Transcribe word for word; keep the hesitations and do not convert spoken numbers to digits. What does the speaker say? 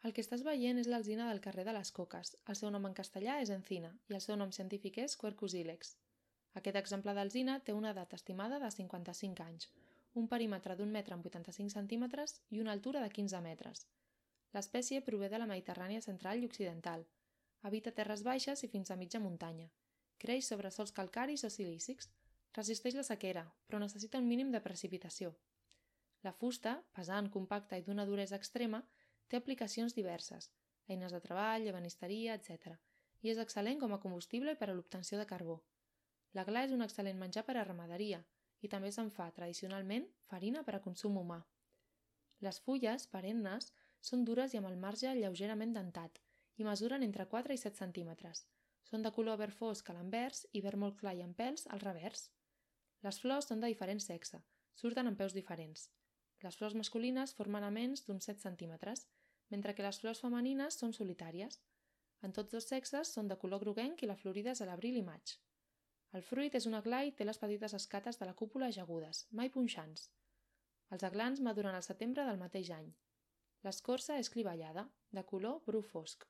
El que estàs veient és l'alzina del carrer de les Coques. El seu nom en castellà és encina i el seu nom científic és Quercus ilex. Aquest exemplar d'alzina té una edat estimada de cinquanta-cinc anys, un perímetre d'un metre amb vuitanta-cinc centímetres i una altura de quinze metres. L'espècie prové de la Mediterrània central i occidental. Habita terres baixes i fins a mitja muntanya. Creix sobre sòls calcaris o silícics. Resisteix la sequera, però necessita un mínim de precipitació. La fusta, pesant, compacta i d'una duresa extrema, té aplicacions diverses, eines de treball, ebenisteria, etcètera, i és excel·lent com a combustible i per a l'obtenció de carbó. La gla és un excel·lent menjar per a ramaderia i també se'n fa, tradicionalment, farina per a consum humà. Les fulles, perennes, són dures i amb el marge lleugerament dentat i mesuren entre quatre i set centímetres. Són de color verd fosc a l'anvers i verd molt clar i amb pèls al revers. Les flors són de diferent sexe, surten amb peus diferents. Les flors masculines formen aments d'uns set centímetres, mentre que les flors femenines són solitàries. En tots dos sexes són de color groguenc i la florida és a l'abril i maig. El fruit és un aglà i té les petites escates de la cúpula ajagudes, mai punxants. Els aglans maduren al setembre del mateix any. L'escorça és clivellada, de color bru fosc.